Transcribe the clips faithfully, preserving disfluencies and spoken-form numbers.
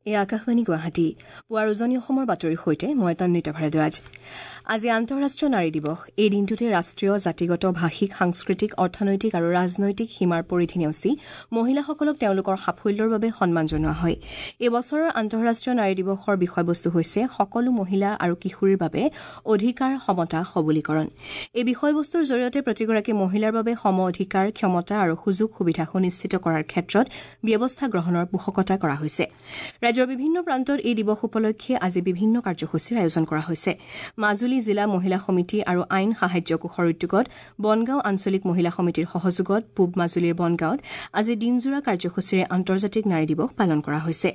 এই আকাশবাণী গুৱাহাটী পুৱাৰ উজনি অসমৰ বাতৰিৰ সৈতে মই তন্বিতা ভৰদ্বাজ। আজি আন্তঃৰাষ্ট্ৰীয় নাৰী দিৱস। এই দিনটোতে ৰাষ্ট্ৰীয়, জাতিগত, ভাষিক, সাংস্কৃতিক, অৰ্থনৈতিক আৰু ৰাজনৈতিক সীমাৰ পৰিধি নেওচি মহিলাসকলক তেওঁলোকৰ সাফল্যৰ বাবে সন্মান জনোৱা হয়। এই বছৰৰ আন্তঃৰাষ্ট্ৰীয় নাৰী দিৱসৰ বিষয়বস্তু হৈছে সকলো মহিলা আৰু কিশোৰীৰ বাবে অধিকাৰ, সমতা, সবলীকৰণ। এই বিষয়বস্তুৰ জৰিয়তে প্ৰতিগৰাকী মহিলাৰ বাবে সম অধিকাৰ, ক্ষমতা আৰু সুযোগ সুবিধা সুনিশ্চিত কৰাৰ ক্ষেত্ৰত ব্যৱস্থা গ্ৰহণৰ পোষকতা কৰা হৈছে। ৰাজ্যৰ বিভিন্ন প্ৰান্তত এই দিৱস উপলক্ষে আজি বিভিন্ন কাৰ্যসূচীৰ আয়োজন কৰা হৈছে। মাজুলী জিলা মহিলা সমিতি আৰু আইন সাহায্য কোষৰ উদ্যোগত বনগাঁও আঞ্চলিক মহিলা সমিতিৰ সহযোগত পূব মাজুলীৰ বনগাঁৱত আজি দিনজোৰা কাৰ্যসূচীৰে আন্তৰ্জাতিক নাৰী দিৱস পালন কৰা হৈছে।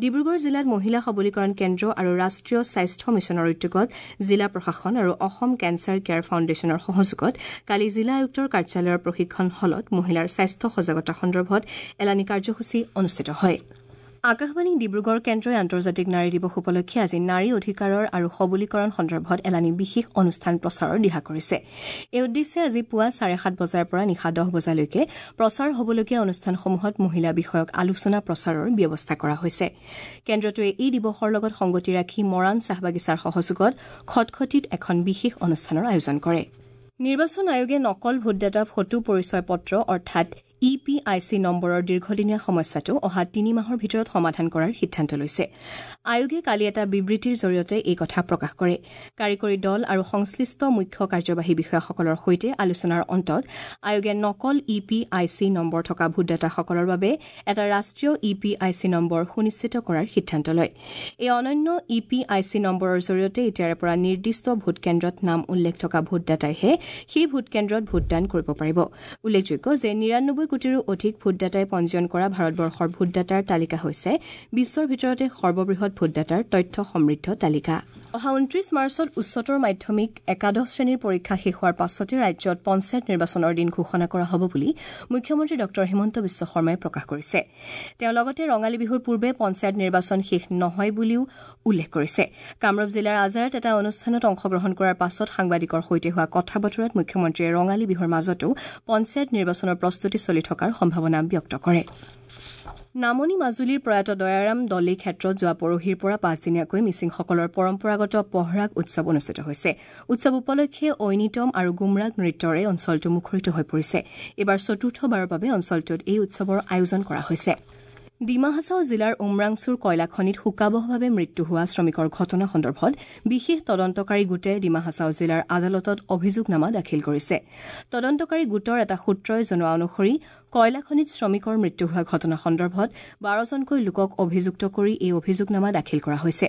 ডিব্ৰুগড় জিলাত মহিলা সবলীকৰণ কেন্দ্ৰ আৰু ৰাষ্ট্ৰীয় স্বাস্থ্য মিছনৰ উদ্যোগত জিলা প্ৰশাসন আৰু অসম কেঞ্চাৰ কেয়াৰ ফাউণ্ডেশ্যনৰ সহযোগত কালি জিলা আয়ুক্তৰ কাৰ্যালয়ৰ প্ৰশিক্ষণ হলত মহিলাৰ স্বাস্থ্য সজাগতা সন্দৰ্ভত এলানি কাৰ্যসূচী অনুষ্ঠিত হয়। আকাশবাণী ডিব্ৰুগড় কেন্দ্ৰই আন্তৰ্জাতিক নাৰী দিৱস উপলক্ষে আজি নাৰী অধিকাৰৰ আৰু সবলীকৰণ সন্দৰ্ভত এলানি বিশেষ অনুষ্ঠান প্ৰচাৰৰ দিহা কৰিছে। এই উদ্দেশ্যে আজি পুৱা চাৰে সাত বজাৰ পৰা নিশা দহ বজালৈকে প্ৰচাৰ হ'বলগীয়া অনুষ্ঠানসমূহত মহিলা বিষয়ক আলোচনা প্ৰচাৰৰ ব্যৱস্থা কৰা হৈছে। কেন্দ্ৰটোৱে এই দিৱসৰ লগত সংগতি ৰাখি মৰাণ চাহ বাগিচাৰ সহযোগত খটখটিত এখন বিশেষ অনুষ্ঠানৰ আয়োজন কৰে। নিৰ্বাচন আয়োগে নকল ভোটদাতা ফটো পৰিচয় পত্ৰ অৰ্থাৎ ই পি I C নম্বৰৰ দীৰ্ঘদিনীয়া সমস্যাটো অহা তিনি মাহৰ ভিতৰত সমাধান কৰাৰ সিদ্ধান্ত লৈছে। আয়োগে কালি এটা বিবৃতিৰ জৰিয়তে এই কথা প্ৰকাশ কৰে। কাৰিকৰী দল আৰু সংশ্লিষ্ট মুখ্য কাৰ্যবাহী বিষয়াসকলৰ সৈতে আলোচনাৰ অন্তত আয়োগে নকল E P I C number থকা ভোটদাতাসকলৰ বাবে এটা ৰাষ্ট্ৰীয় E P I C number সুনিশ্চিত কৰাৰ সিদ্ধান্ত লয়। এই অনন্য ই পি I C নম্বৰৰ জৰিয়তে এতিয়াৰে পৰা নিৰ্দিষ্ট ভোটকেন্দ্ৰত নাম উল্লেখ থকা ভোটদাতাইহে সেই ভোটকেন্দ্ৰত ভোটদান কৰিব পাৰিব। উল্লেখযোগ্য যে নিৰানব্বৈ কোটিৰো অধিক ভোটদাতাই পঞ্জীয়ন কৰা ভাৰতবৰ্ষৰ ভোটদাতাৰ তালিকা হৈছে বিশ্বৰ ভিতৰতে সৰ্ববৃহৎ ভোটদাতাৰ তথ্য সমৃদ্ধ তালিকা। অহা ঊনত্ৰিশ মাৰ্চত উচ্চতৰ মাধ্যমিক একাদশ শ্ৰেণীৰ পৰীক্ষা শেষ হোৱাৰ পাছতে ৰাজ্যত পঞ্চায়ত নিৰ্বাচনৰ দিন ঘোষণা কৰা হ'ব বুলি মুখ্যমন্ত্ৰী ডঃ হিমন্ত বিশ্ব শৰ্মাই প্ৰকাশ কৰিছে। তেওঁ লগতে ৰঙালী বিহুৰ পূৰ্বে পঞ্চায়ত নিৰ্বাচন শেষ নহয় বুলিও উল্লেখ কৰিছে। কামৰূপ জিলাৰ আজাৰত এটা অনুষ্ঠানত অংশগ্ৰহণ কৰাৰ পাছত সাংবাদিকৰ সৈতে হোৱা কথা বতৰাত মুখ্যমন্ত্ৰীয়ে ৰঙালী বিহুৰ মাজতো পঞ্চায়ত নিৰ্বাচনৰ প্ৰস্তুতি চলি থকাৰ সম্ভাৱনা ব্যক্ত কৰে। নামনি মাজুলীৰ প্ৰয়াত দয়াৰাম দলে ক্ষেত্ৰত যোৱা পৰহিৰ পৰা পাঁচদিনীয়াকৈ মিচিংসকলৰ পৰম্পৰাগত পহৰাগ উৎসৱ অনুষ্ঠিত হৈছে। উৎসৱ উপলক্ষে ঐনিতম আৰু গুমৰাগ নৃত্যৰে অঞ্চলটো মুখৰিত হৈ পৰিছে। এইবাৰ চতুৰ্থবাৰৰ বাবে অঞ্চলটোত এই উৎসৱৰ আয়োজন কৰা হৈছে। ডিমা হাছাও জিলাৰ উমৰাংচুৰ কয়লাখনিত শোকাবহভাৱে মৃত্যু হোৱা শ্ৰমিকৰ ঘটনা সন্দৰ্ভত বিশেষ তদন্তকাৰী গোটে ডিমা হাছাও জিলাৰ আদালতত অভিযোগনামা দাখিল কৰিছে। তদন্তকাৰী গোটৰ এটা সূত্ৰই জনোৱা অনুসৰি কয়লাখনিত শ্ৰমিকৰ মৃত্যু হোৱা ঘটনা সন্দৰ্ভত বাৰজনকৈ লোকক অভিযুক্ত কৰি এই অভিযোগনামা দাখিল কৰা হৈছে।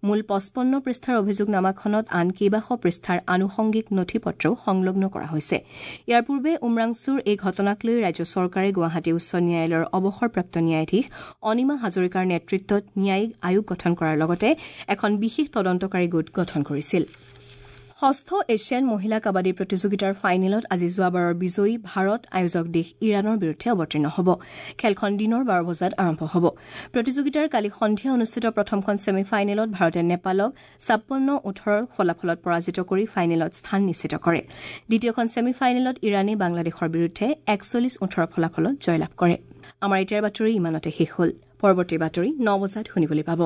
মূল পঁচপন্ন পৃষ্ঠাৰ অভিযোগনামাখনত আন কেইবাশ পৃষ্ঠাৰ আনুষংগিক নথি পত্ৰও সংলগ্ন কৰা হৈছে। ইয়াৰ পূৰ্বে উমৰাংচুৰ এই ঘটনাক লৈ ৰাজ্য চৰকাৰে গুৱাহাটী উচ্চ ন্যায়ালয়ৰ অৱসৰপ্ৰাপ্ত ন্যায়াধীশ অনিমা হাজৰিকাৰ নেতৃত্বত ন্যায়িক আয়োগ গঠন কৰাৰ লগতে এখন বিশেষ তদন্তকাৰী গোট গঠন কৰিছিল। ষষ্ঠ এছিয়ান মহিলা কাবাডী প্ৰতিযোগিতাৰ ফাইনেলত আজি যোৱাবাৰৰ বিজয়ী ভাৰত আয়োজক দেশ ইৰাণৰ বিৰুদ্ধে অৱতীৰ্ণ হ'ব। খেলখন দিনৰ বাৰ বজাত আৰম্ভ হ'ব। প্ৰতিযোগিতাৰ কালি সন্ধিয়া অনুষ্ঠিত প্ৰথমখন ছেমি ফাইনেলত ভাৰতে নেপালক ছাপন্ন ওঠৰৰ ফলাফলত পৰাজিত কৰি ফাইনেলত স্থান নিশ্চিত কৰে। দ্বিতীয়খন ছেমি ফাইনেলত ইৰাণে বাংলাদেশৰ বিৰুদ্ধে একচল্লিছ ওঠৰ ফলাফলত জয়লাভ কৰে। আমাৰ এতিয়াৰ বাতৰি ইমানতে শেষ হ'ল। পৰৱৰ্তী বাতৰি ন বজাত শুনিবলৈ পাব।